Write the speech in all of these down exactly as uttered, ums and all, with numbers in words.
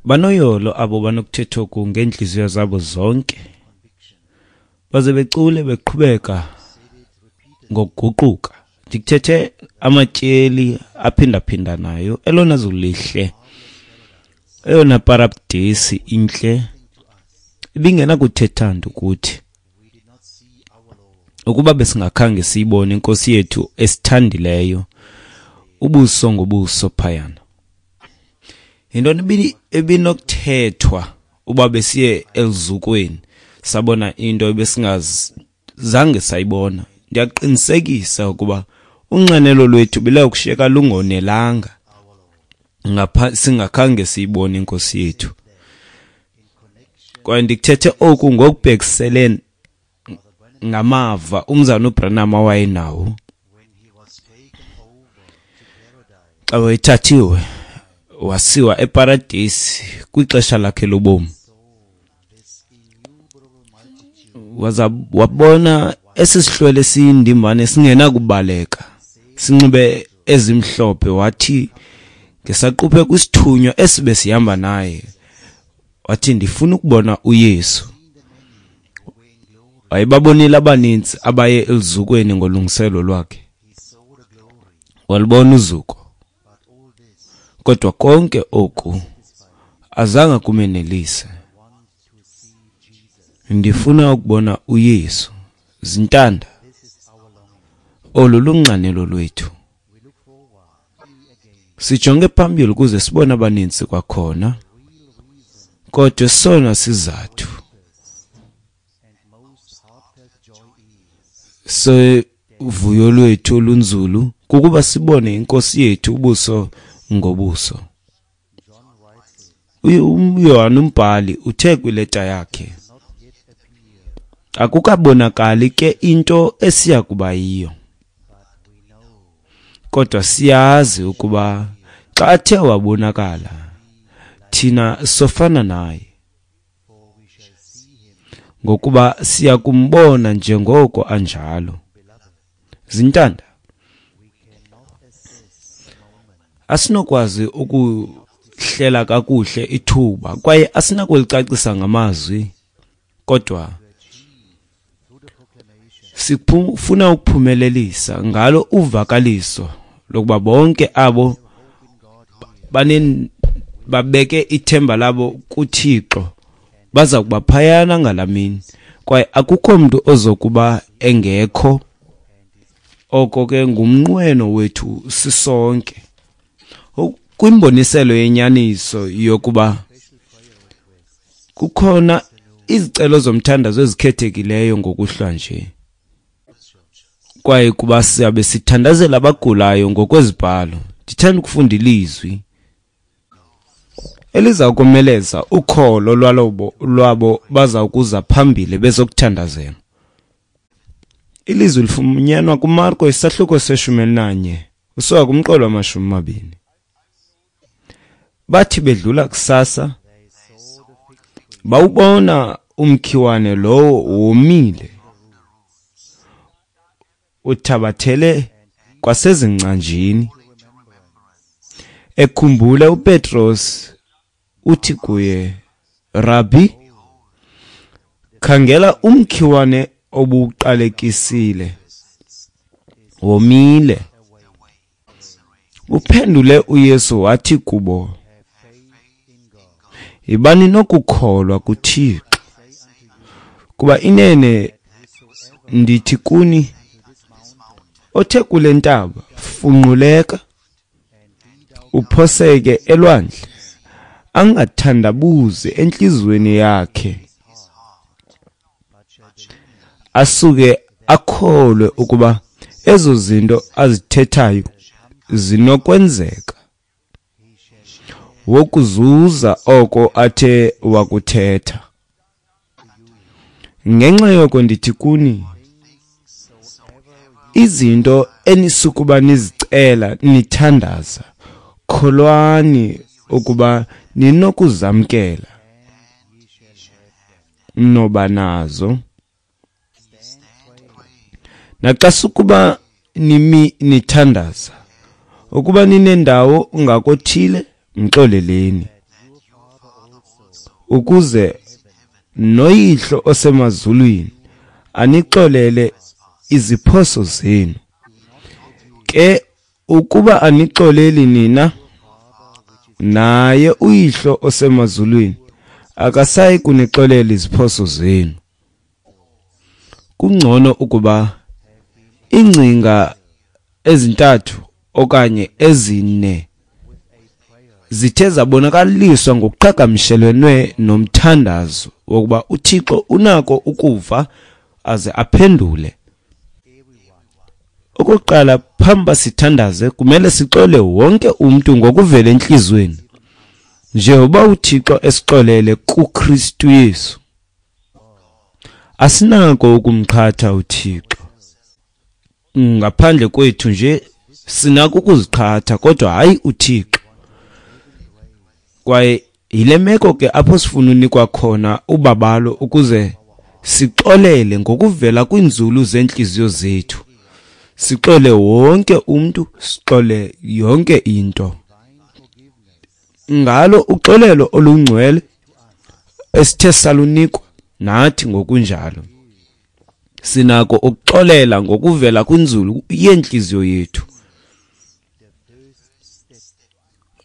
Banoyolo abo banokuthetha oku ngeentliziyo zabo zonke, baze becule beqhubeka ngokuguquka. Ndikuthethe amatyeli aphindaphindanayo, elona zulu lihle, eyona paradesi intle ibingenakuthetha nto kuthi ukuba besingakhange siyibone inkosi yethu esithandileyo ubuso ngobuso phayana. Yintoni ebinokuthethwa uba besiye eluzukweni sabona into ebesingazange sayibona? Ndiyaqinisekisa ukuba unxanelo lwethu belakushiyeka lungonelanga ngapha singakhange siyibone inkosi yethu. Kwaye ndikuthethe oku ngokubhekiselene ngamava umzana uBranham awayenawo xa wayethathiwe wasiwa eparadesi kwixesha lakhe lobomi. Waza wabona esi sihlwele siyindimbane singenakubaleka, sinxibe ezimhlophe. Wathi ngesaquphe kwisithunywa esibe sihamba naye, wathi ndifuna ukubona uYesu. Wayebabonile abaninzi abaye eluzukweni ngolungiselo lwakhe, walubona uzuko, kodwa konke oku azange kumenelise. Ndifuna ukubona uYesu. Zintanda, olu lunxanelo lwethu. Sijonge phambili ukuze sibone abaninzi kwakhona, kodwa esona sizathu sevuyo lwethu olunzulu kukuba sibone inkosi yethu ubuso ngobuso. uYohane umbhali uthe kwileta yakhe, akukabonakali ke into esiya kuba yiyo, kodwa siyazi ukuba xa athe wabonakala thina sofana naye, ngokuba siya kumbona njengoko anjalo. Zintanda, asinokwazi ukuhlela kakuhle ithuba kwaye asinakulicacisa ngamazwi, kodwa sifuna ukuphumelelisa ngalo uvakaliso lokuba bonke abo babeke ithemba labo kuThixo baza kuba phayana ngalamini, kwaye akukho mntu ozokuba engekho. Oko ke ngumnqweno wethu sisonke kwimboniselo yenyaniso yokuba kukhona izicelo zomthandazo ezikhethekileyo ngokuhlwa nje, kwaye kuba siyabe sithandazela abagulayo ngokwezibhalo. Ndithanda ukufunda ilizwi eliza komeleza ukholo lwalobo lwabo baza kuza phambili bezokuthandazela. Ilizwi lifunyanwa kuMarko isahluko seshumi elinanye usuka kumqolo wamashumi amabini. Bathi bedlula kusasa bawubona umkhiwane lowo womile uthabathele kwasezingcanjini. Ekhumbula uPetros uthi kuye, Rabbi, khangela umkhiwane obuqalekisile womile. Uphendule uYesu wathi kubo, yibani nokukholwa kuThixo, kuba inene ndithi kuni, othe kule ntaba funquleka uphoseke elwandle, angathandabuzi enhliziyweni yakhe, asuke akholwe ukuba ezo zinto azithethayo zinokwenzeka, wokuzuza oko athe wakuthetha. Ngenxa yoko ndithi kuni, izinto enisukuba nizicela nithandaza, kholwani ukuba ninokuzamkela, noba nazo. Naxa sukuba nimi nithandaza, ukuba ninendawo ngakothile, mxoleleni, ukuze noYihlo osemazulwini anixolele iziphoso zenu. Ke ukuba anixoleli nina, naye uYihlo osemazulwini akasayi kunixolela iziphoso zenu. Kungcono ukuba iingcinga ezintathu okanye ezine zithe zabonakaliswa ngokuqhagamshelene nomthandazo wokuba uThixo unako ukuva aze aphendule. Okokuqala, phambi sithandaze kumele sixole wonke umntu ngokuvela entliziyweni, njengoba uThixo esixolele kuKristu Yesu. Asinako ukumqhatha uThixo. Ngaphandle kwethu nje sinako ukuziqhatha, kodwa hayi uThixo. Kwaye yile meko ke apho sifuna unikwa khona ubabalo ukuze sixolele ngokuvela kwiinzulu zeentliziyo zethu. Sixole wonke umntu, sixole yonke into. Ngalo uxolelo olungcwele esithe salunikwa nathi ngokunjalo, sinako ukuxolela ngokuvela kwinzulu yentliziyo yethu.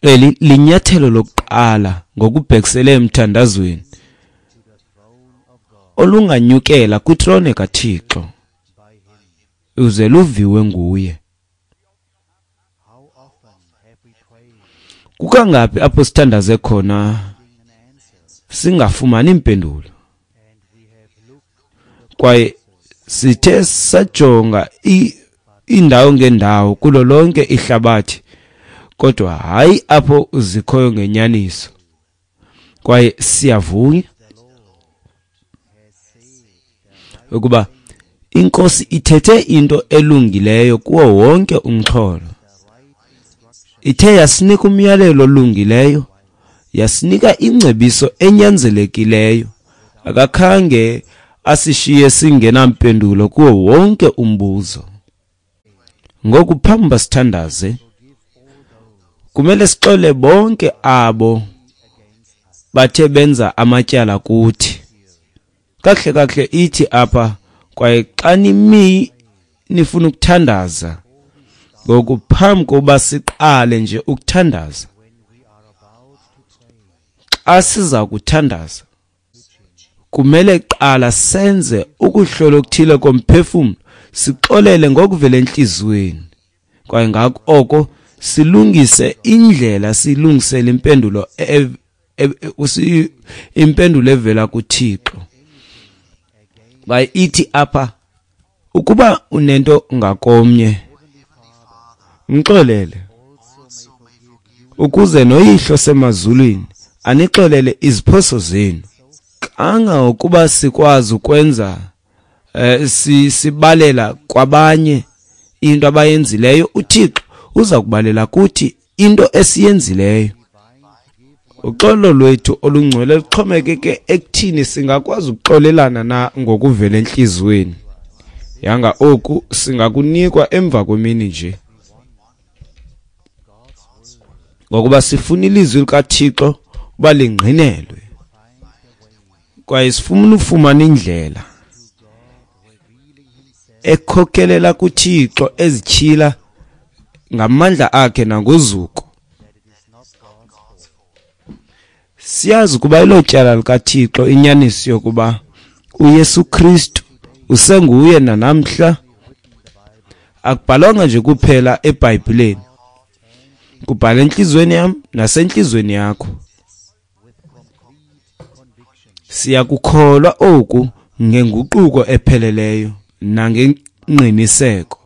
Eli linyathelo lokuqala ngokubhekisele emthandazweni olunganyukela kwitrone kaThixo uze luviwe nguye. Kukangaphi apho sithandaze khona singafumani impendulo, kwaye sithe sajonga indawo ngendawo kulo lonke ihlabathi, kodwa hayi apho zikhoyo ngenyaniso. Kwaye siyavuya ukuba iNkosi ithethe into elungileyo kuwo wonke umxholo. Ithe yasinika umyalelo olungileyo, yasinika ingcebiso enyanzelekileyo. Akakhange asishiye singenampendulo kuwo wonke umbuzo. Ngoku phambi sithandaze kumele sixole bonke abo bathe benza amatyala kuthi. Kahle kahle ithi apha, kwaye xa nimi nifuna ukuthandaza, ngoku phambi kokuba siqale nje ukuthandaza, xa siza kuthandaza kumele qala senze ukuhlola okuthile komphefumlo, sixolele ngokuvela enhliziyweni, kwaye ngako oko silungise indlela, silungisele impendulo impendulo evela kuThixo. Kwaye ithi apha, ukuba unento ngakomnye mxolele, ukuze noYihlo semazulwini anixolele iziphoso zenu. Kangangokuba sikwazi ukwenza eh, sibalela kwabanye into abayenzileyo, uThixo uza kubalela kuthi into esiyenzileyo. Uxolo lwethu olungcwele luxhomekeke ekuthini singakwazi ukuxolelana na ngokuvela enhliziyweni. Yanga oku singakunikwa emva kwemini nje, ngokuba sifuna ilizwi likaThixo uba lingqinelwe, kwaye sifuna ufumana indlela ekhokelela kuThixo ezityhila ngamandla akhe nangozuko. Siyazi ukuba ilo tyala likaThixo inyaniso yokuba uYesu Kristu usenguye nanamhla. Akubhalwanga nje kuphela eBhayibhileni, kubhala enhliziyweni yam nasenhliziyweni yakho. Siyakukholwa oku ngenguquko epheleleyo nangengqiniseko.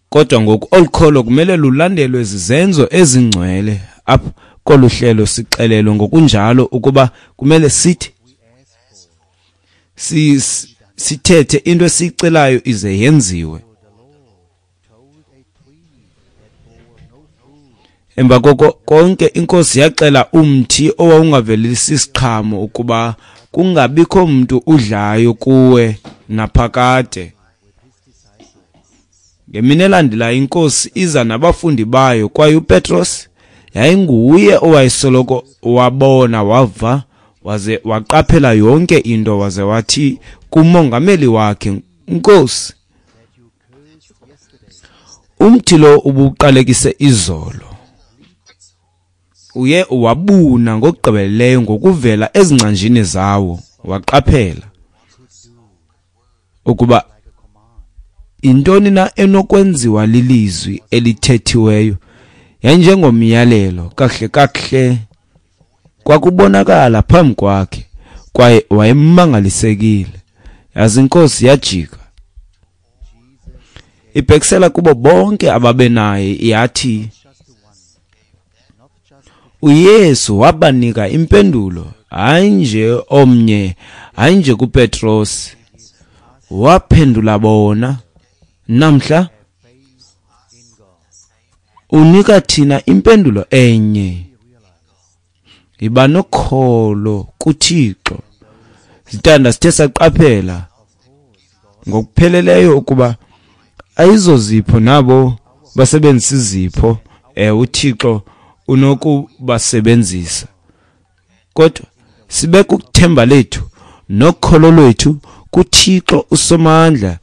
Kodwa ngoku olu kholo kumele lulandelwe zizenzo ezingcwele. Apha kolu hlelo sixelelwe ngokunjalo ukuba kumele sithi sithethe into esiyicelayo ize yenziwe. Emva koko konke iNkosi yaxela umthi owawungavelisi isiqhamo ukuba kungabikho mntu udlayo kuwe naphakade. Ngemini elandelayo iNkosi iza nabafundi bayo, kwaye uPetros Yayinguye owayesoloko wabona, wava, waze waqaphela yonke into, waze wathi kumongameli wakhe, Nkosi, umthi lo ubuqalekise izolo uye wabuna ngokugqibeleleyo ngokuvela ezingcanjini zawo. Waqaphela ukuba intoni na enokwenziwa lilizwi elithethiweyo yayinjengomyalelo. Kahle kahle kwakubonakala phambi kwakhe, kwaye wayemangalisekile. Yazi inkosi yajika ibhekisela kubo bonke ababenaye, yathi uYesu wabanika impendulo, hayi nje omnye, hayi nje kuPetros, waphendula bona. Namhla unika thina impendulo enye, iba nokholo kuThixo. Zintanda, sithe saqaphela ngokupheleleyo ukuba ayizozipho nabo basebenzisa izipho, eh uThixo unokubasebenzisa, kodwa sibeka ukuthemba lethu nokholo lwethu kuThixo uSomandla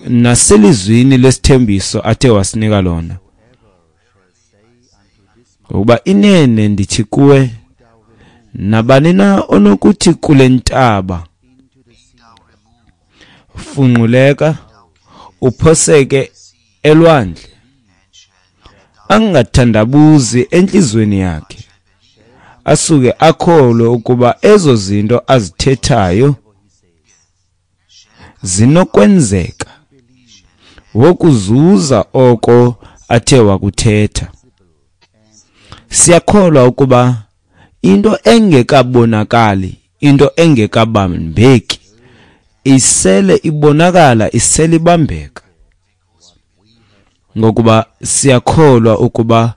naselizwini lesithembiso athe wasinika lona. Ngokuba inene ndithi kuwe, nabani na onokuthi kule ntaba, funquleka uphoseke elwandle, angathandabuzi enhlizweni yakhe, asuke akholwe ukuba ezo zinto azithethayo zinokwenzeka, wokuzuza oko athe wakuthetha. Siyakholwa ukuba into engekabonakali, into engekabambeki, isele ibonakala, isele ibambeka, ngokuba siyakholwa ukuba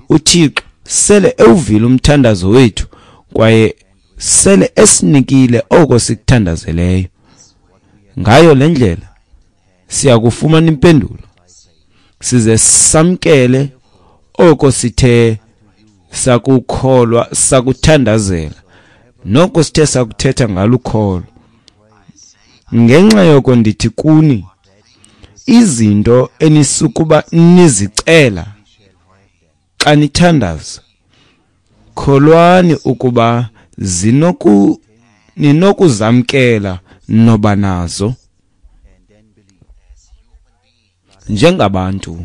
uThixo sele ewuvile umthandazo wethu, kwaye sele esinikile oko sikuthandazeleyo. Ngayo le ndlela siyakufumana impendulo, size samkele oko sithe sakukholwa, sakuthandazela, noko sithe sakuthetha ngalukholo. Ngenxa yoko ndithi kuni, izinto enisukuba nizicela xa nithandaza, kholwani ukuba zinoku ninokuzamkela noba nazo. Njengabantu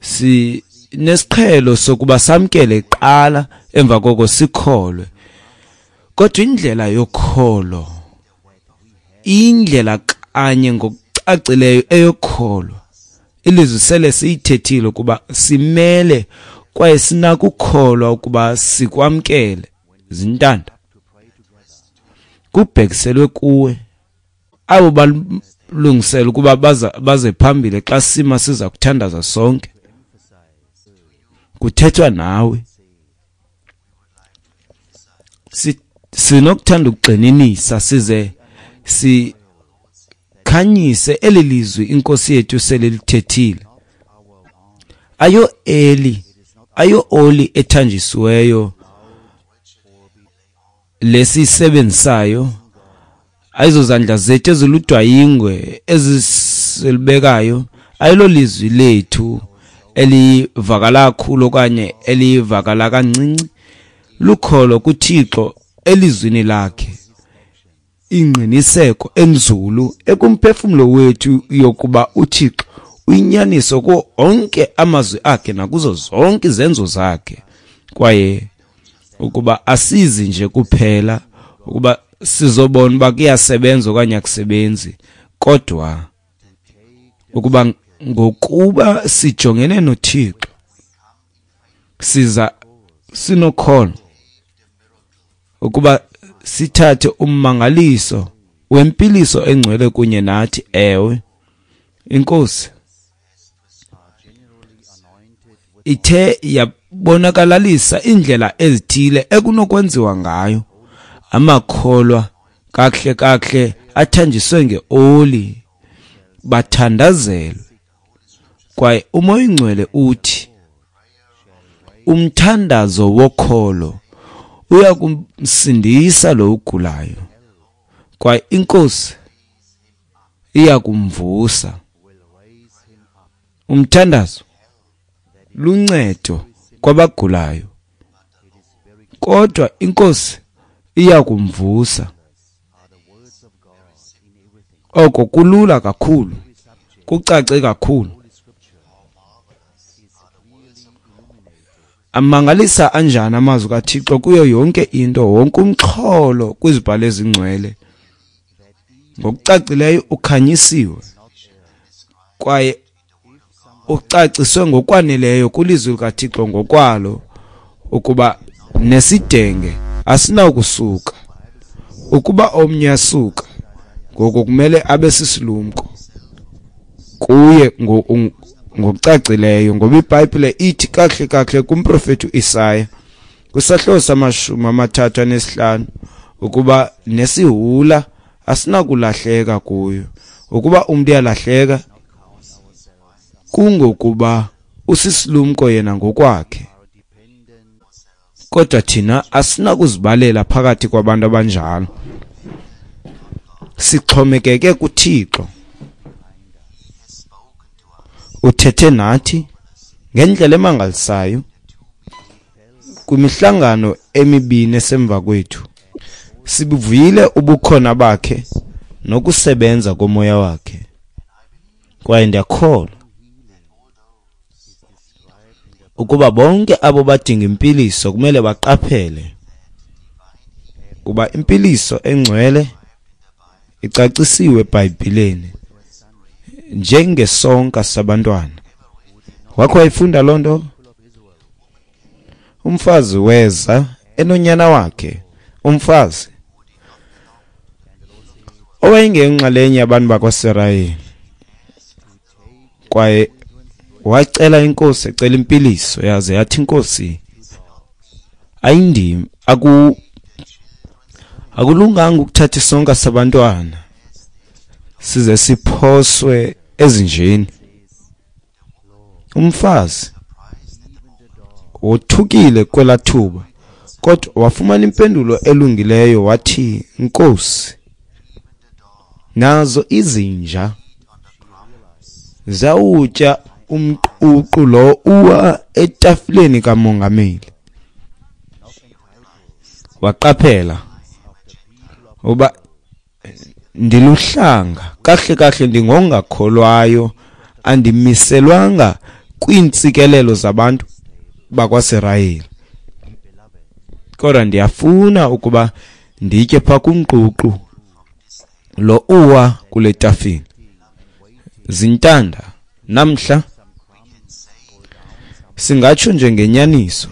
sinesiqhelo sokuba samkele kuqala, emva koko sikholwe. Kodwa indlela yokholo, indlela kanye ngokucacileyo eyokholo, ilizwi sele siyithethile ukuba simele kwaye sinakukholwa ukuba sikwamkele. Zintanda, kubhekiselwe kuwe abo balungisela ukuba baza baze phambili xa sima siza kuthandaza sonke. Kuthethwa nawe. Sinokuthanda ukugxininisa size sikhanyise eli lizwi inkosi yethu selilithethile. Ayo eli, ayo oli ethanjisiweyo lesisebenzisayo, ayizozandla zethu eziludwayingwe ezisilibekayo, ayilo lizwi lethu elivakala kakhulu okanye elivakala kancinci, lukholo kuThixo elizwini lakhe, ingqiniseko enzulu ekumphefumlo wethu yokuba uThixo uyinyaniso kuwo onke amazwi akhe nakuzo zonke izenzo zakhe, kwaye ukuba asizi nje kuphela ukuba sizobona uba kuyasebenza okanye akusebenzi, kodwa ukuba ngokuba sijongene noThixo siza sinokholo ukuba sithathe ummangaliso wempiliso engcwele kunye nathi. Ewe, inkosi ithe yabonakalalisa indlela ezithile ekunokwenziwa ngayo amakholwa kakuhle kakuhle athanjiswe ngeoli bathandazelwe, kwaye uMoya oyiNgcwele uthi umthandazo wokholo uyakumsindisa lo ugulayo, kwaye iNkosi iyakumvusa. Umthandazo luncedo kwabagulayo, kodwa iNkosi iyakumvusa. Oko kulula kakhulu, kucace kakhulu. Amangalisa anjani amazwi kaThixo kuyo yonke into, wonke umxholo kwizibhalo ezingcwele. Ngokucacileyo ukhanyisiwe kwaye ucaciswe ngokwaneleyo kwilizwi likaThixo ngokwalo, ukuba nesidenge asinawukusuka. Ukuba omnye asuka, ngoko kumele abe sisilumko kuye ngokucacileyo, ngoba iBhayibhile ithi kakuhle kakuhle kumprofeti uIsaya kwisahluko samashumi amathathu anesihlanu ukuba nesihula asinakulahleka kuyo. Ukuba umntu uyalahleka, kungokuba usisilumko yena ngokwakhe, kodwa thina asinakuzibalela phakathi kwabantu abanjalo. Sixhomekeke kuThixo. Uthethe nathi ngendlela emangalisayo kwimihlangano emibini esemva kwethu. Sibuvile ubukhona bakhe nokusebenza komoya wakhe, kwaye ndiyakholwa ukuba bonke abo badinga impiliso kumele baqaphele kuba impiliso engcwele icacisiwe eBhayibhileni njengesonka sabantwana. Wakho wayifunda loo nto? Umfazi weza enonyana wakhe, umfazi owayengeyonxalenye yabantu bakwaSirayeli, kwaye wacela iNkosi, ecela impiliso, yaze yathi iNkosi ayindim, aku akulunganga ukuthatha isonka sabantwana size siphoswe ezinjeni. Umfazi wothukile kwelathuba, kodwa wafumana impendulo elungileyo, wathi, Nkosi, nazo izinja zawutya umququ lo uwa etafileni kamongameli. Waqaphela uba ndiluhlanga, kahle kahle ndingongakholwayo, andimiselwanga kwiintsikelelo zabantu bakwaSirayeli, kodwa ndiyafuna ukuba nditye phaa kumququ lo uwa kule tafile. Zintanda namhla singatsho nje ngenyaniso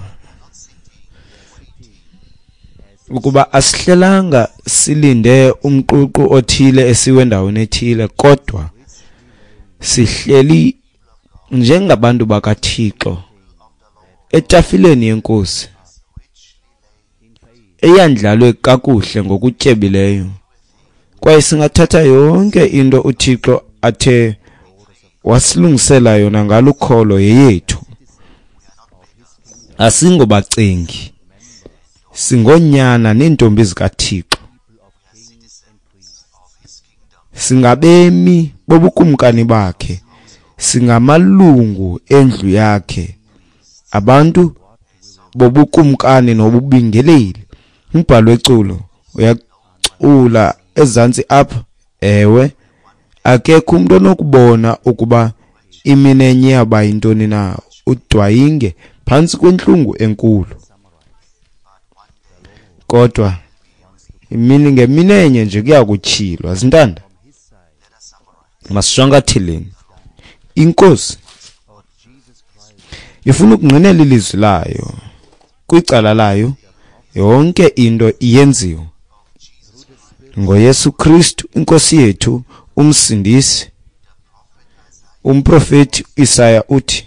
ukuba asihlelanga silinde umququ othile esiwe endaweni ethile, kodwa sihleli njengabantu bakaThixo etafileni yeNkosi eyandlalwe kakuhle ngokutyebileyo, kwaye singathatha yonke into uThixo athe wasilungisela yona ngalukholo yeyethu. Asingobacengi, singonyana neentombi zikaThixo, singabemi bobukumkani bakhe, singamalungu endlu yakhe, abantu bobukumkani nobubingeleli. Umbhalo weculo uyacula ezantsi apha, ewe, akekho umuntu onokubona ukuba imini enye yaba yintoni na, udwayinge phantsi kwentlungu enkulu. Kodwa imini ngemini enye nje kuyakutyhilwa. Zintanda, masishwankatheleni. INkosi ifuna ukungqinela ilizwi layo kwicala layo, yonke into iyenziwe ngoYesu Kristu iNkosi yethu, umsindisi. Umprofeti Isaya uthi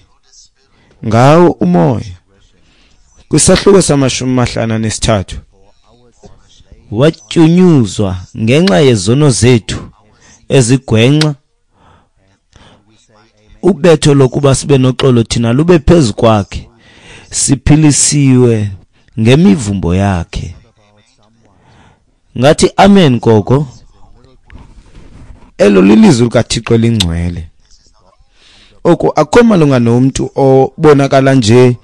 ngawo umoya kwisahluko samashumi mahlanu anesithathu, watyunyuzwa ngenxa yezono zethu ezigwenxa, ubetho lokuba sibe noxolo thina lube phezu kwakhe, Siphilisiwe ngemivumbo yakhe. Ngathi amen koko. Elo lilizwi likaThixo elingcwele. Oku akukho malunga nomntu obonakala nje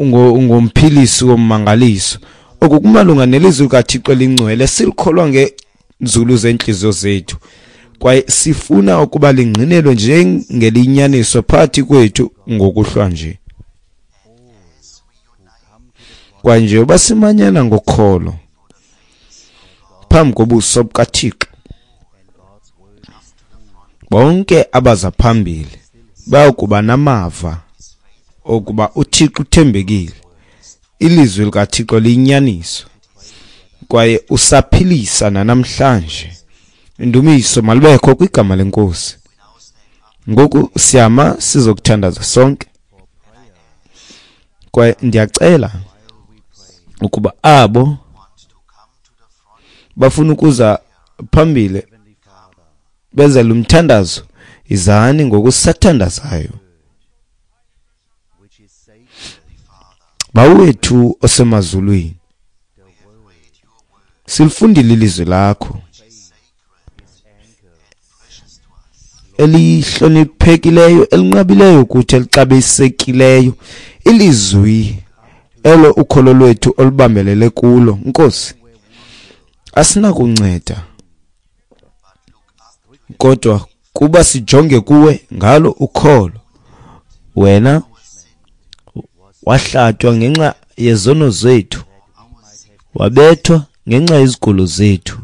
ngomphilisi wommangaliso. Oku kumalunga nelizwi likaThixo elingcwele silikholwa ngenzulu zentliziyo zethu, kwaye sifuna ukuba lingqinelwe njengelinyaniso phakathi kwethu ngokuhlwa nje. Kwaye njengoba simanyana ngokholo phambi kobuso bukaThixo, bonke abaza phambili bayokuba namava okuba uThixo uthembekile, ilizwi likaThixo liyinyaniso, kwaye usaphilisa nanamhlanje. Indumiso malibekho kwigama leNkosi. Ngoku siyama sizokuthandaza sonke, kwaye ndiyacela ukuba abo bafuna ukuza phambili benze lo mthandazo, izani ngokusathandazayo. Bawo wethu osemazulwini, silifundile ilizwi lakho elihloniphekileyo, elinqabileyo kuthi, elixabisekileyo, ilizwi elo ukholo lwethu olubambelele kulo. Nkosi, asinakunceda kodwa kuba sijonge kuwe ngalo ukholo. Wena wahlatywa ngenxa yezono zethu, wabethwa ngenxa yezigulo zethu.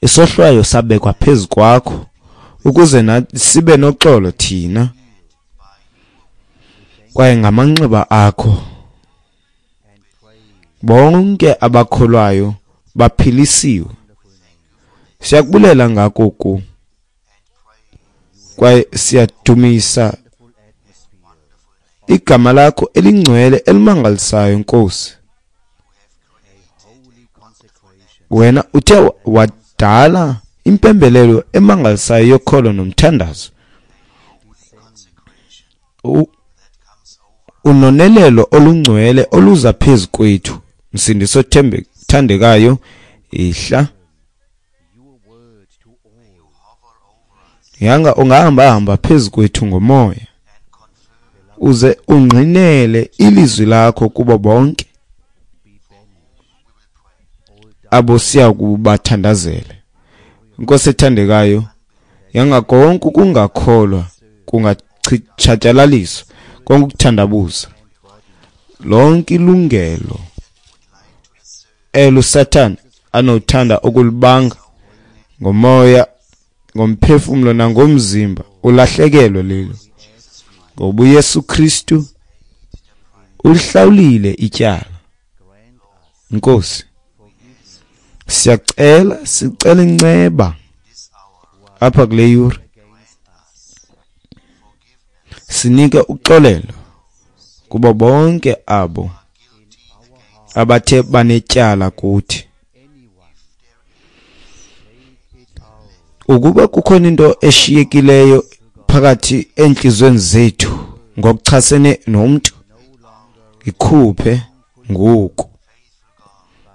Isohlwayo sabekwa phezu kwakho ukuze nathi sibe noxolo thina, kwaye ngamanxeba akho bonke abakholwayo baphilisiwe. Siyakubulela ngako oku, kwaye siyadumisa igama lakho elingcwele elimangalisayo, Nkosi. Wena uthe wadala impembelelo emangalisayo yokholo nomthandazo, unonelelo olungcwele oluza phezu kwethu. Msindisi othandekayo, ihla yanga ungahamba hamba phezu kwethu ngomoya, uze ungqinele ilizwi lakho kubo bonke abo siya kubathandazele. Nkosi ethandekayo, yanga konke ukungakholwa kungatshatyalaliswa, konke ukuthandabuza, lonke ilungelo elo Sathane anothanda ukulibanga ngomoya, ngomphefumlo nangomzimba, ulahlekelwe lelo, ngoba uYesu Kristu ulihlawulile ityala. Nkosi, siyacela, sicela inceba apha kule yure, sinike uxolelo kubo bonke abo abathe banetyala kuthi. Ukuba kukhona into eshiyekileyo phakathi enhliziyweni zethu ngokuchasene nomuntu, ikhuphe ngoku,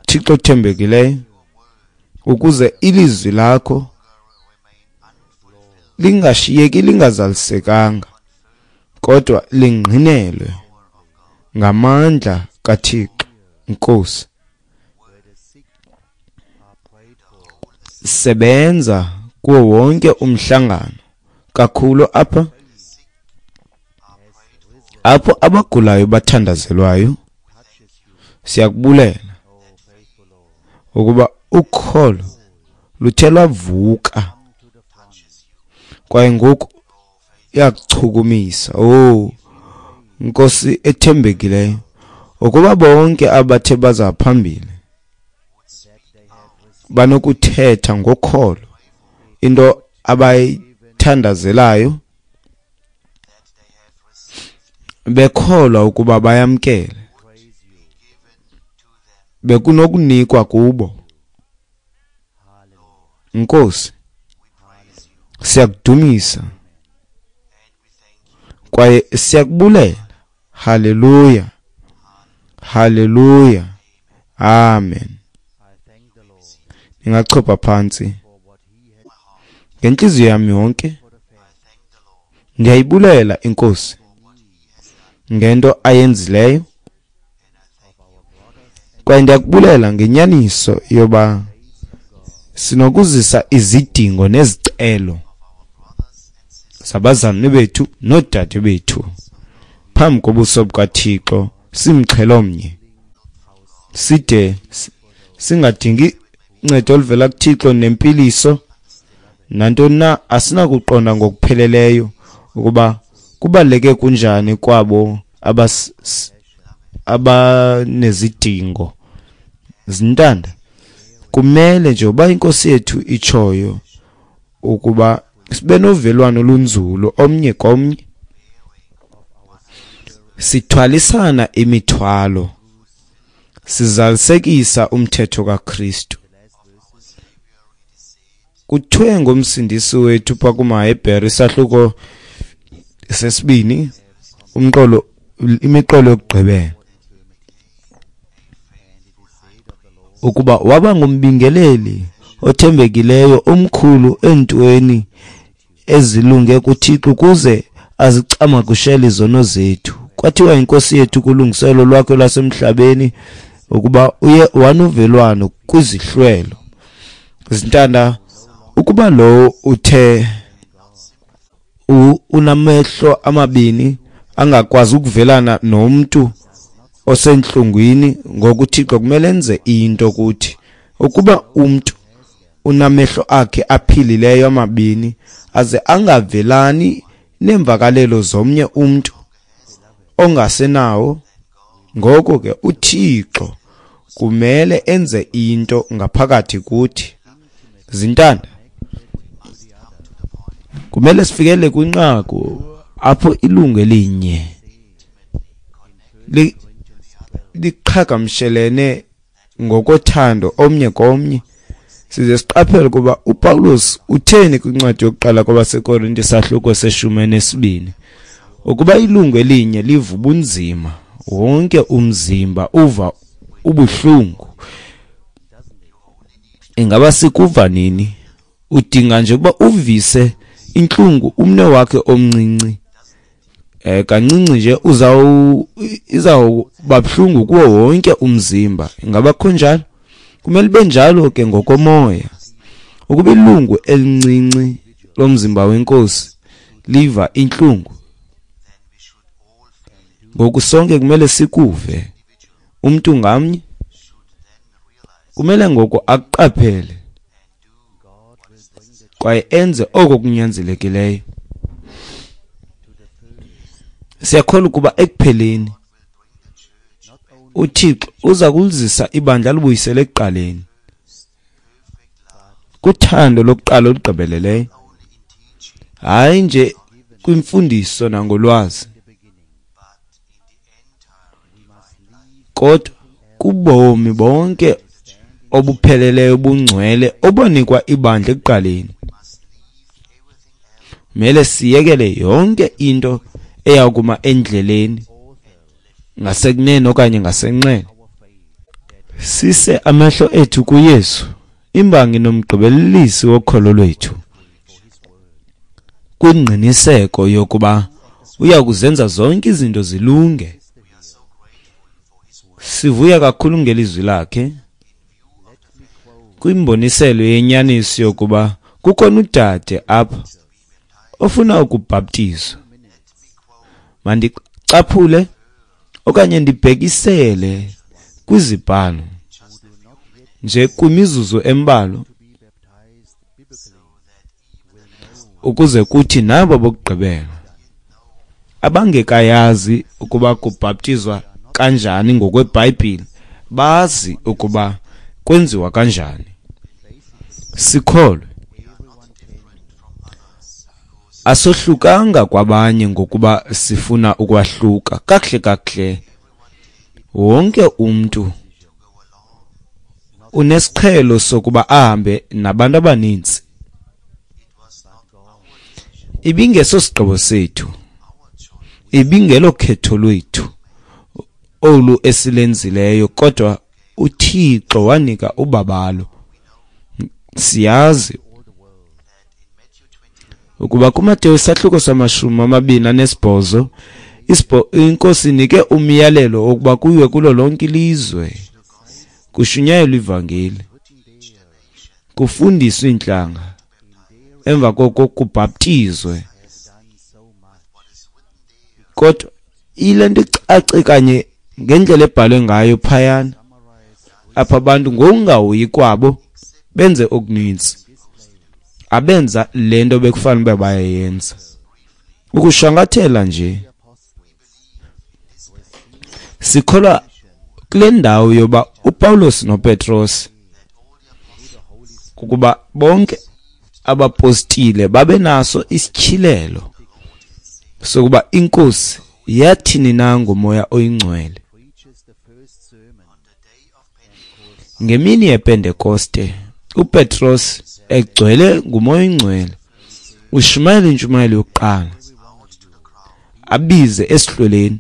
Thixo othembekileyo, ukuze ilizwi lakho lingashiyeki lingazalisekanga, kodwa lingqinelwe ngamandla kaThixo. Nkosi, sebenza kuwo wonke umhlangano, kakhulu apha apho abagulayo bathandazelwayo. Siyakubulela ukuba ukholo luthe lwavuka, kwaye ngoku iyakuchukumisa. Oh Nkosi ethembekileyo, ukuba bonke abathe baza phambili banokuthetha ngokholo into abayithandazelayo, bekholwa ukuba bayamkele, bekunokunikwa kubo. Nkosi, siyakudumisa Kwaye siyakubulela. Haleluya. Haleluya. Amen. Ningachopha phantsi. Ngentliziyo yami yonke ndiyayibulela iNkosi ngento ayenzileyo. Kwaye ndiyakubulela ngenyaniso yoba sinokuzisa izidingo nezicelo zabazalwane bethu noodade bethu phambi kobuso bukaThixo simxhelo omnye, side singadingi uncedo oluvela kuThixo nempiliso nantoni na. Asinakuqonda ngokupheleleyo ukuba kubaluleke kunjani kwabo abanezidingo zintanda. Kumele nje uba iNkosi yethu itshoyo ukuba sibe novelwano olunzulu omnye komnye, sithwalisana imithwalo, sizalisekisa umthetho kaKristu. Kuthiwe ngomsindisi wethu pha kumaHebhere isahluko sesibini umqolo imiqolo yokugqibela ukuba waba ngumbingeleli othembekileyo omkhulu entweni ezilunge kuThixo ukuze azicamagushele izono zethu. Kwathiwa iNkosi yethu kulungiselo lwakhe lwasemhlabeni ukuba uye wanovelwano kwizihlwelo. Zintanda, ukuba lowo uthe unamehlo amabini angakwazi ukuvelana nomntu osentlungwini, ngokuThixo kumele enze into kuthi. Ukuba umntu unamehlo akhe aphilileyo amabini aze angavelani neemvakalelo zomnye umntu ongasenawo, ngoko ke uThixo kumele enze into ngaphakathi kuthi. Zintanda, kumele sifikele kwinqaku apho ilungu elinye liqhagamshelene ngokothando omnye komnye, size siqaphele kuba uPawulos utheni kwincwadi yokuqala kwabaseKorinte isahluko seshumi nesibini, ukuba ilungu elinye liva ubunzima, wonke umzimba uva ubuhlungu. Ingaba sikuva nini? Udinga nje ukuba uvise intlungu umne wakhe omncinci, eh kancinci nje uzawu izawuba buhlungu kuwo wonke umzimba. Ingaba kunjalo? Kumele ibe njalo ke ngokomoya. Ukuba ilungu elincinci lomzimba weNkosi liva intlungu, ngoku sonke kumele sikuve. Umntu ngamnye kumele ngoku aqaphele kwaye enze oko kunyanzelekileyo. Siyakholwa ukuba ekupheleni uThixo uza kulizisa ibandla alibuyisele ekuqaleni kuthando lokuqala olugqibeleleyo, hayi nje kwimfundiso nangolwazi, kodwa kubomi bonke obupheleleyo obungcwele obonikwa ibandla ekuqaleni. Kumele siyekele yonke into eyakuma endleleni ngasekunene okanye ngasenxele, sise amehlo ethu kuYesu, imbangi nomgqibelelisi wokholo lwethu, kwingqiniseko yokuba uya kuzenza zonke izinto zilunge. Sivuya kakhulu ngelizwi lakhe kwimboniselo yenyaniso yokuba kukhona udade apha ofuna ukubhaptizwa. Mandicaphule okanye ndibhekisele kwizibhalo nje kwimizuzu embalwa ukuze kuthi nabo bokugqibela abangekayazi ukuba kubhaptizwa kanjani ngokweBhayibhile bazi ukuba kwenziwa kanjani. Sikholwe, asohlukanga kwabanye ngokuba sifuna ukwahluka. Kakuhle kakuhle wonke umntu unesiqhelo sokuba ahambe nabantu abaninzi. Ibingeso sigqibo sethu, Ibingelo khetho lwethu olu esilenzileyo, kodwa uThixo wanika ubabalo. Siyazi ukuba kuMateyu isahluko samashumi amabini anesibhozo iNkosi inike umyalelo wokuba kuyiwe kulo lonke ilizwe, kushunyayelwe ivangeli, kufundiswe iintlanga, emva koko kubhaptizwe. Kodwa ile nto icace kanye ngendlela ebhalwe ngayo phayana, apha abantu ngokungahoyi kwabo benze okuninzi, abenza le nto bekufanele uba bayayenza. Ukushwankathela nje, sikholwa kule ndawo yoba uPawulos noPetros, ukuba bonke abapostile babenaso isityhilelo sokuba iNkosi yathini na ngoMoya oyiNgcwele. Ngemini yePentekoste, uPetros egcwele nguMoya oyiNgcwele ushumayela intshumayelo yokuqala, abize esihlweleni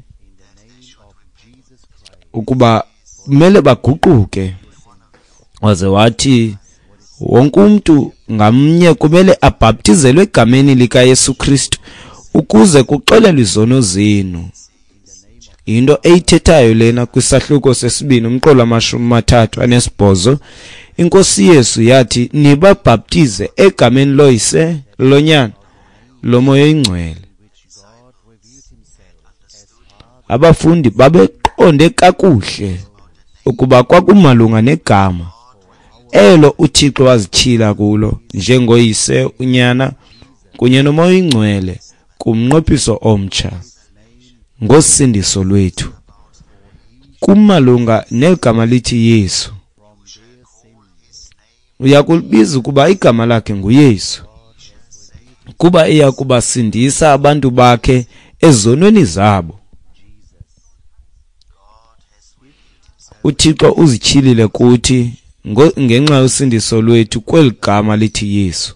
ukuba kumele baguquke, waze wathi wonke umntu ngamnye kumele abhaptizelwe egameni likaYesu Kristu ukuze kuxolelwe izono zenu. Into eyithethayo lena kwisahluko sesibini umqolo amashumi amathathu anesibhozo, iNkosi Yesu yathi nibabhaptize egameni loYise, loNyana, loMoya oyiNgcwele. Abafundi babeqonde kakuhle ukuba kwakumalunga negama elo uThixo wazityhila kulo njengoYise, uNyana kunye noMoya oyiNgcwele kumnqophiso omtsha ngosindiso lwethu. Kumalunga negama lithi Yesu. Uyakulibiza ukuba igama lakhe nguYesu, kuba iya kubasindisa abantu bakhe ezonweni zabo. uThixo uzityhilile kuthi ngenxa yosindiso lwethu kweli gama lithi Yesu.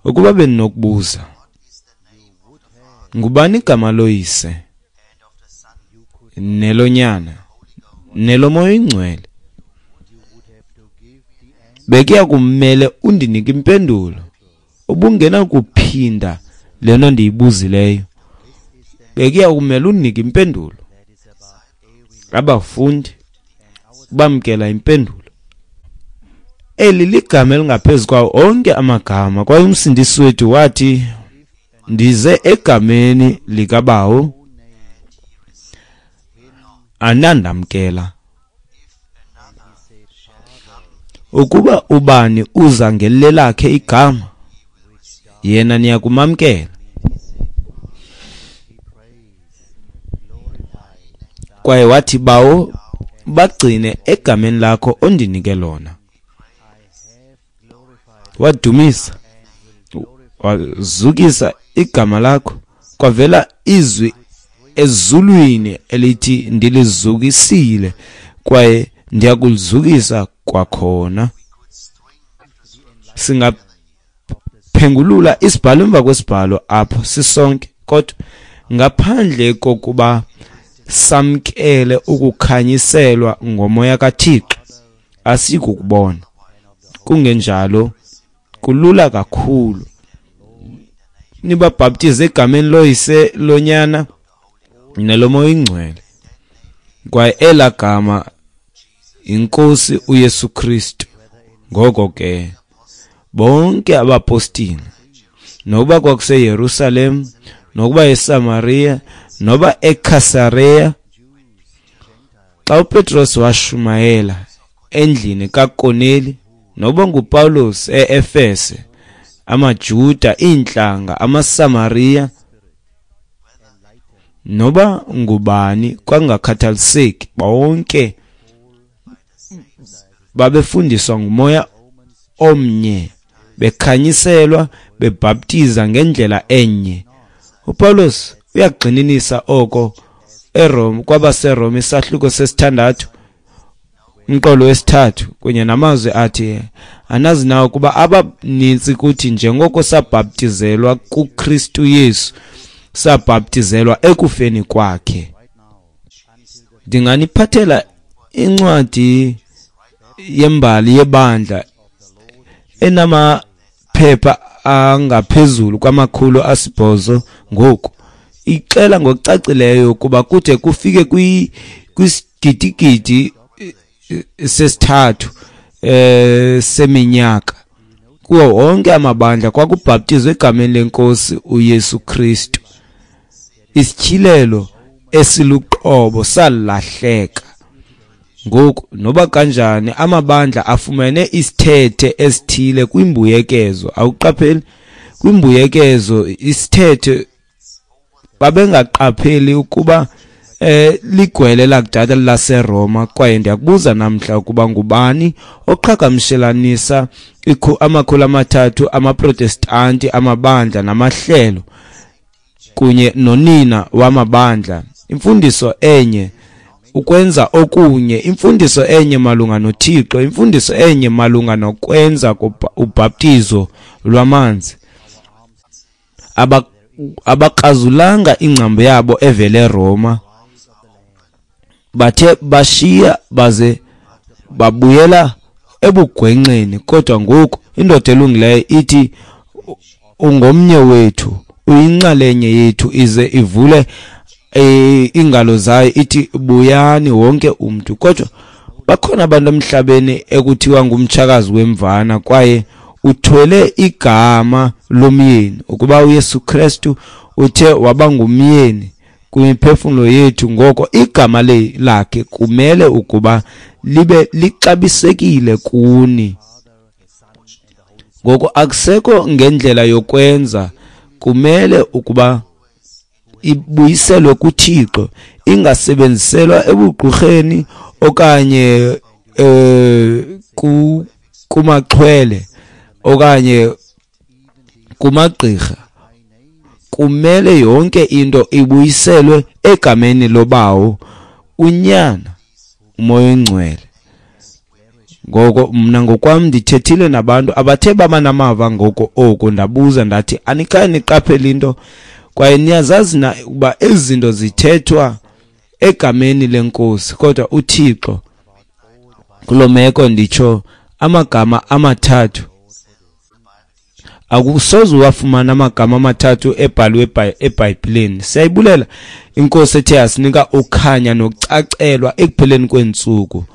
Ukuba beninokubuza, ngubani igama loYise, neloNyana, neloMoya oyiNgcwele, bekuya kumele undinike impendulo. Ubungenakuphinda le nto ndiyibuzileyo, bekuya kumele undinike impendulo. Abafundi bamkela impendulo. Eli ligama elingaphezu kwawo onke amagama, kwaye uMsindisi wethu wathi, ndize egameni likaBawo, anandamkela. Ukuba ubani uza ngelelakhe igama, yena niyakumamkela. Kwaye wathi, Bawo, bagcine egameni lakho ondinike lona. Wadumisa, wazukisa igama lakho. Kwavela izwi ezulwini elithi, ndilizukisile kwaye ndiyakulizukisa kwakhona. Singaphengulula isibhalo emva kwesibhalo apho sisonke, kodwa ngaphandle kokuba samkele ukukhanyiselwa ngoMoya kaThixo, asikukubona. Kungenjalo kulula kakhulu. Nibabhaptize egameni loYise, loNyana neloMoya oyiNgcwele, kwaye elaa gama iNkosi uYesu Kristu. Ngoko ke bonke abapostile, nokuba kwakuseYerusalem, nokuba eSamaria, noba eKhasareya, xa uPetros washumayela endlini kaKorneli, noba nguPawulos e-Efese, amaJuda, iintlanga, amaSamariya, noba ngubani, kwangakhathaliseki, bonke babefundiswa nguMoya omnye, bekhanyiselwa, bebhaptiza ngendlela enye. uPawulos uyagxininisa oko eRome, kwabaseRome isahluko sesithandathu, Umqolo wesithathu kunye namazwi athi, anazi na ukuba abaninzi kuthi njengoko sabhaptizelwa kuKristu Yesu, sabhaptizelwa ekufeni kwakhe. Ndinganiphathela incwadi yembali yebandla enamaphepha angaphezulu kwamakhulu asibhozo ngoku, ixela ngokucacileyo ukuba kude kufike kwisigidigidi sesithathu eh seminyaka kuwo wonke amabandla kwakubhaptizwe egameni lenkosi uYesu Kristu. Isityhilelo esiluqobo salahleka. Ngoku noba kanjani amabandla afumene isithethe esithile kwimbuyekezo. Awuqapheli kwimbuyekezo isithethe, babengaqapheli ukuba eh ligwele lakudala laseRoma. Kwaye ndiyakubuza namhla ukuba ngubani oqhagamshelanisa amakhulu amathathu amaProtestanti, amabandla namahlelo kunye nonina wamabandla, imfundiso enye ukwenza okunye, imfundiso enye malunga noThixo, imfundiso enye malunga nokwenza ubhaptizo lwamanzi. Abakrazulanga ingcambu yabo evele eRoma, bathe bashiya baze babuyela ebugwenxeni. Kodwa ngoku indoda elungileyo ithi ungomnye wethu, uyinxalenye yethu, ize ivule ingalo zayo ithi buyani wonke umntu. Kodwa bakhona abantu emhlabeni ekuthiwa ngumtshakazi wemvana, kwaye uthwele igama lomyeni. Ukuba uYesu Kristu uthe waba ngumyeni kwimiphefumlo yethu, ngoko igama lakhe kumele ukuba libe lixabisekile kuni. Ngoko akusekho ngendlela yokwenza, kumele ukuba ibuyiselwe kuThixo, ingasebenziselwa ebugqurheni okanye eh kumaxhwele okanye kumagqirha. Kumele yonke into ibuyiselwe egameni loBawo, uNyana, uMoya oNgcwele. Ngoko mna ngokwam ndithethile nabantu abathe baba namava ngoko oku, ndabuza ndathi, anikhange niqaphele into? Kwaye niyazazi na ukuba ezi zinto zithethwa egameni lenkosi? Kodwa uThixo kuloo meko, nditsho amagama amathathu, akusoze uwafumana amagama amathathu ebhalwe eBhayibhileni. Siyayibulela inkosi ethe yasinika ukhanya nokucacelwa ekupheleni kweentsuku.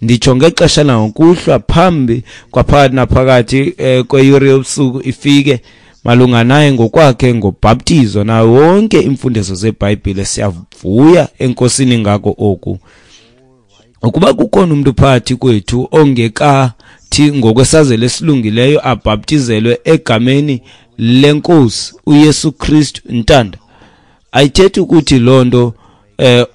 Nditsho ngexesha langokuhlwa, phambi kwaphakathi naphakathi eh, kweyure yobusuku ifike malunga naye ngokwakhe ngobhaptizo nayo wonke imfundiso zeBhayibhile. Siyavuya enkosini ngako oku. Ukuba kukhona umuntu phakathi kwethu ongekathi ngokwesazelo esilungileyo abhaptizelwe egameni lenkosi uYesu Kristu, ntanda, ayithethi ukuthi loo nto eh,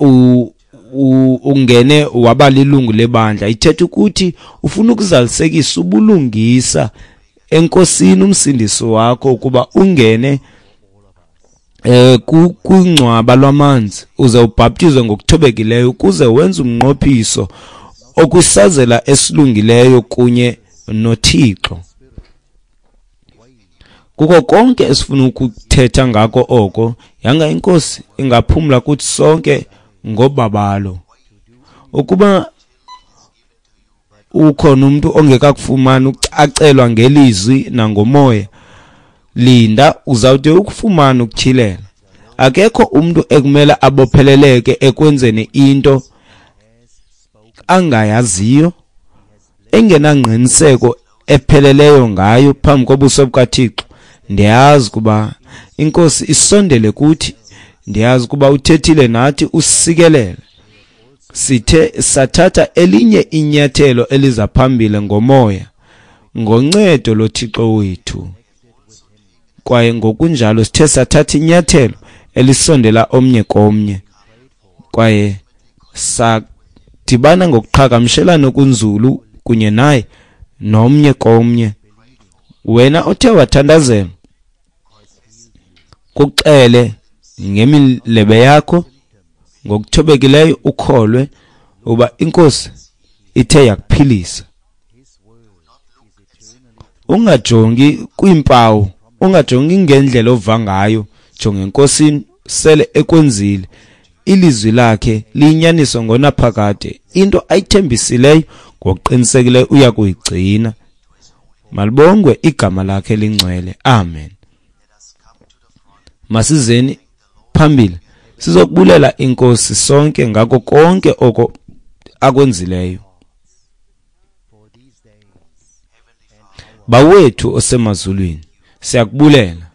ungene waba lilungu lebandla. Ithetha ukuthi ufuna ukuzalisekisa ubulungisa enkosini umsindisi wakho, ukuba ungene eh kungcwaba lwamanzi uze ubhaptizwe ngokuthobekileyo, ukuze wenze umnqophiso okusazela esilungileyo kunye noThixo. Kuko konke esifuna ukuthetha ngako oko, yanga inkosi ingaphumla kuthi sonke ngobabalo. Ukuba ukhona umuntu ongekakufumani ukucacelwa ngelizwi nangomoya, linda, uzawude ukufumana ukutyhilela. Akekho umuntu ekumele abopheleleke ekwenzeni into angayaziyo, engenangqiniseko epheleleyo ngayo phambi kobuso bukaThixo. Ndiyazi kuba inkosi isondele kuthi, ndiyazi kuba uthethile nathi, usikelele. Sithe sathatha elinye inyathelo eliza phambili ngomoya, ngoncedo loThixo wethu. Kwaye ngokunjalo sithe sathatha inyathelo elisondela omnye komnye, kwaye sadibana ngokuqhagamshelana okunzulu kunye naye nomnye komnye. Wena othe wathandazela, kuxele ngemilebe yakho ngokuthobekileyo, ukholwe uba inkosi ithe yakuphilisa. Ungajongi kwiimpawu, ungajongi ngendlela ova ngayo, jonga eNkosini, sele ekwenzile. Ilizwi lakhe liyinyaniso ngonaphakade. Into ayithembisileyo ngokuqinisekileyo uya kuyigcina. Malibongwe igama lakhe lingcwele. Amen. Masizeni phambili sizokubulela iNkosi sonke ngako konke oko akwenzileyo. Bawethu osemazulwini, siyakubulela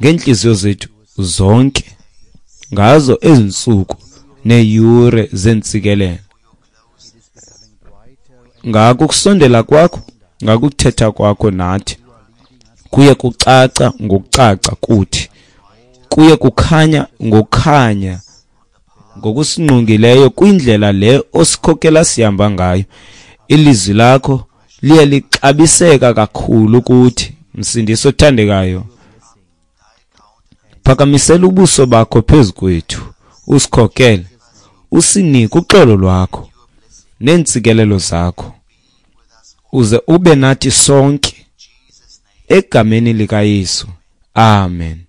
ngeenhliziyo zethu zonke ngazo ezinsuku neeyure zentsikelelo, ngako kusondela kwakho, ngakuthetha kwakho nathi, kuye kucaca ngokucaca kuthi, kuye kukhanya ngokukhanya ngokusingqongileyo kwindlela le osikhokela sihamba ngayo. Ilizwi lakho liye lixabiseka kakhulu kuthi, Msindisi othandekayo. Phakamisela ubuso bakho phezu kwethu, usikhokele, usinike uxolo lwakho neentsikelelo zakho, uze ube nathi sonke egameni likaYesu. Amen.